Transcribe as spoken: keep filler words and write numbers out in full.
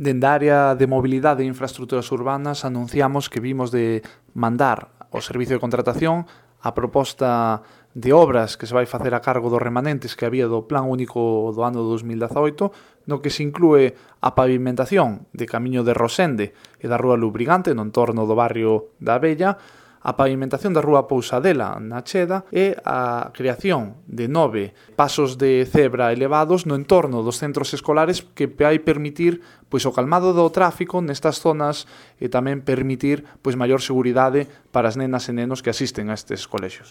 Dende a área de mobilidade e infraestructuras urbanas anunciamos que vimos de mandar ao Servicio de Contratación a proposta de obras que se vai facer a cargo dos remanentes que había do Plan Único do ano dos mil dezaoito, no que se inclúe a pavimentación de Camiño de Rosende e da Rúa Lubrigante no entorno do barrio da Abella, a pavimentación da Rúa Pousadela na Cheda e a creación de nove pasos de cebra elevados no entorno dos centros escolares que vai permitir pois o calmado do tráfico nestas zonas e tamén permitir pois maior seguridade para as nenas e nenos que asisten a estes colexios.